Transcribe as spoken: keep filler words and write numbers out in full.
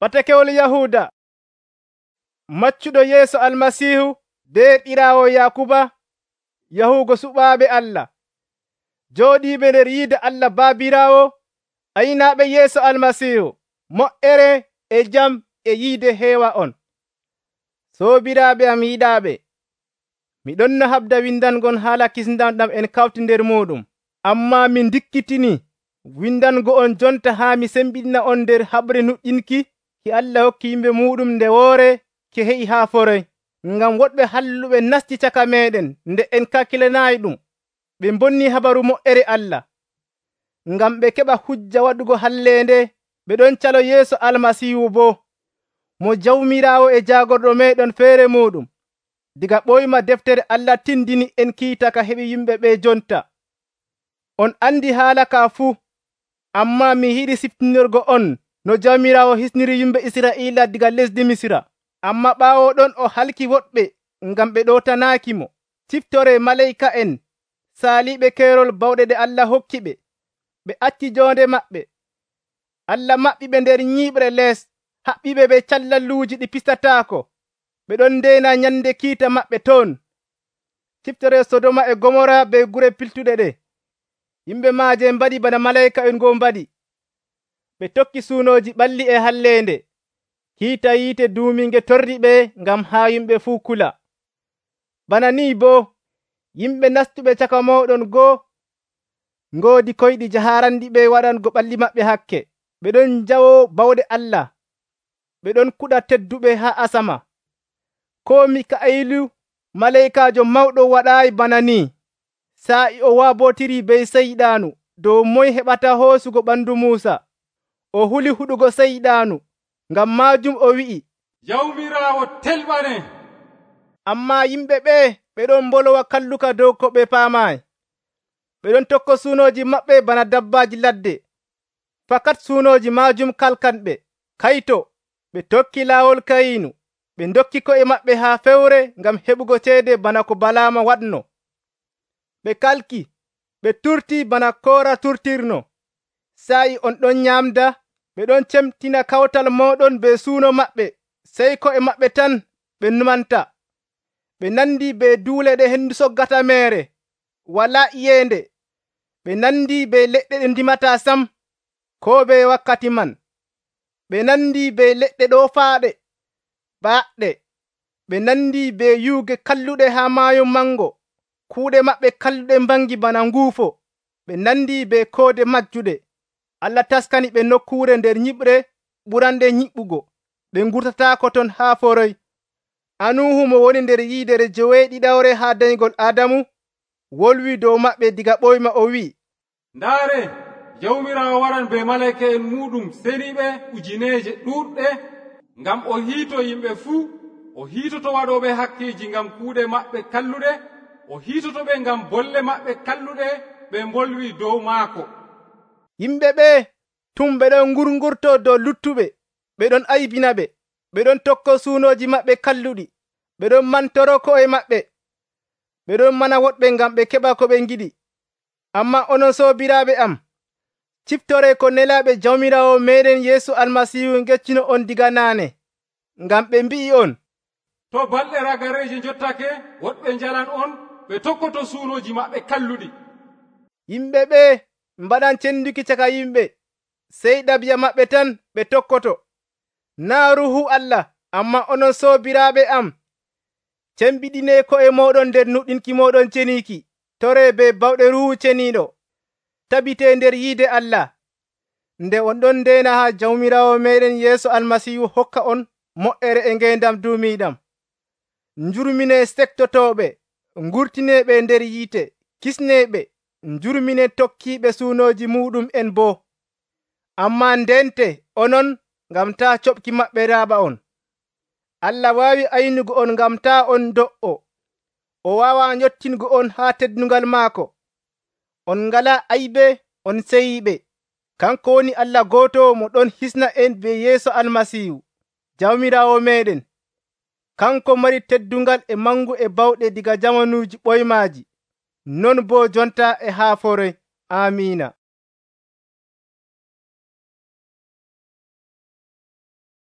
Patakewol Yahuuda. Maccuɗo Yeesu Almasiihu be ɓiraawo Yaakuba yahugo suɓaaɓe Allah, jooɗiiɓe nder yiide Allah Baabiraawo, aynaaɓe Yeesu Almasiihu, moƴƴere e jam e yiide heewa on. Soobiraaɓe am yiɗaaɓe, mi ɗonno habda windangon haala kisndam ɗam en kawti nder muuɗum. Ammaa mi ndikkitinii windango on jonta haa mi sembiɗina on nder haɓre nuƴƴinki ki Allah hokki yimɓe muuɗum nde woore ki he'i haa foroy, ngam woɗɓe halluɓe nasti caka meeɗen nde en kakkilanaayi ɗum. Ɓe mbonnii habaru moƴƴere Allah, ngam ɓe keɓa hujja waɗugo halleende. Ɓe ɗon calo Yeesu Almasiihu boo, mo Jawmiraawo e Jaagorɗo meeɗen feere muuɗum. Diga ɓoyma deftere Allah tindini en kiita ka heɓi yimɓe ɓe jonta. On andi haala ka fuu, ammaa mi yiɗi siftinorgo on no Jawmiraawo hisniri yimɓe Israa'iila diga lesdi Misra. Ammaa ɓaawo ɗon o halki woɗɓe ngam ɓe ɗootanaakimo. Ciftoree malaa'ika'en saaliiɓe keerol bawɗe ɗe Allah hokki ɓe. Ɓe acci joonde maɓɓe. Allah maɓɓiɓe nder nyiiɓre lees, haɓɓiɓe be callalluuji ɗi pistataako. Ɓe ɗon ndeena nyande kiita maɓɓe toon. Ciftoree Sodoma e Gomora be gure piltuɗe ɗe. Yimɓe maaje mbaɗi bana malaa'ika'en ngoo mbaɗi. Ɓe tokki suunooji ɓalli e halleende. Kiita yiite duuminge torri ɓe ngam haa yimɓe fuu kula. Bana nii boo, yimɓe nastuɓe caka mooɗon goo ngoodi koyɗi jahaarandiɓe waɗango ɓalli maɓɓe hakke. Ɓe ɗon njawoo bawɗe Allah. Ɓe ɗon kuɗa tedduɓe haa asama. Koo Mika'ilu malaa'ikaajo mawɗo waɗaayi bana nii. Saa'i o waabotirii be Seyɗaanu dow moye heɓata hoosugo ɓandu Muusa. O huli huɗugo Seyɗaanu, ngam maajum o wi'i, Jawmiraawo telɓane. Ammaa yimɓe ɓee ɓe ɗon mbolowa kalluka dow ko ɓe paamaayi. Ɓe ɗon tokko suunooji maɓɓe bana dabbaaji ladde. Fakat suunooji maajum kalkanɓe. Kayto, ɓe tokki laawol Kayinu. Ɓe ndokki ko'e maɓɓe haa fewre ngam heɓugo ceede bana ko Balaama waɗno. Ɓe kalki, ɓe turtii bana Koora turtirno. Saa'i on ɗon nyaamda, ɓe ɗon cemtina kawtal mooɗon be suuno maɓɓe, sey ko'e maɓɓe tan ɓe numanta. Ɓe nandii be duule ɗe hendu soggata meere, walaa iyeende. Ɓe nandii be leɗɗe ɗe ndimataa sam, koo be wakkati man. Ɓe nandii be leɗɗe ɗoofaaɗe, baaɗɗe. Ɓe nandii be yuuge kalluɗe haa maayo mango. Kuuɗe maɓɓe kalluɗe mbangi bana nguufo. Ɓe nandii be koode majjuɗe. Allah taskani ɓe nokkuure nder nyiɓre ɓuranɗe nyiɓugo. Ɓe ngurtataako ton haa foroy. Anuhu mo woni nder yiidere joweeɗiɗawre haa dayngol Aadamu wolwi dow maɓɓe diga ɓoyma o wi'i, ndaare, Jawmiraawo waran be malaa'ika'en muuɗum seniiɓe ujineeje ɗuuɗɗe, ngam o hiito yimɓe fuu. O hiitoto waɗooɓe hakkeeji ngam kuuɗe maɓɓe kalluɗe. O hiitoto ɓe ngam bolle maɓɓe kalluɗe ɓe mbolwi dow maako. Yimɓe ɓee tum ɓe ɗon ngurngurtoo dow luttuɓe. Ɓe ɗon aybina ɓe. Ɓe ɗon tokko suunooji maɓɓe kalluɗi. Ɓe ɗon mantoro ko'e maɓɓe. Ɓe ɗon mana woɗɓe ngam ɓe keɓa ko ɓe ngiɗi. Ammaa onon soobiraaɓe am, ciftoree ko nelaaɓe Jawmiraawo meeɗen Yeesu Almasiihu ngeccuno on diga naane. Ngam ɓe mbi'i on, to balɗe ragareeje njottake, woɗɓe njalan on, ɓe tokkoto suunooji maɓɓe kalluɗi. Yimɓe ɓee mbaɗan cenduki caka yimɓe, sey ɗabi'a maɓɓe tan ɓe tokkoto. Naa Ruuhu Allah, ammaa onon soobiraaɓe am, cembiɗinee ko'e mooɗon nder nuɗɗinki mooɗon ceniiki. Toree be bawɗe Ruuhu Ceniiɗo. Tabitee nder yiide Allah. Nde on ɗon ndeena haa Jawmiraawo meeɗen Yeesu Almasiihu hokka on moƴƴere e ngeendam duumiiɗam. Njurminee sektotooɓe, ngurtineeɓe nder yiite, kisneeɓe, njurminee tokkiiɓe suunooji muuɗum en boo. Ammaa ndente onon ngam taa coɓki maɓɓe raaɓa on. Allah waawi aynugo on ngam taa on do'o. O waawaa nyottingo on haa teddungal maako. On ngalaa aybe, on seyiiɓe. Kanko woni Allah gooto mo ɗon hisna en be Yeesu Almasiihu, Jawmiraawo meeɗen. Kanko mari teddungal e mangu e bawɗe diga jamanuuji ɓoymaaji, non boo jonta e haa foroy. Amiina.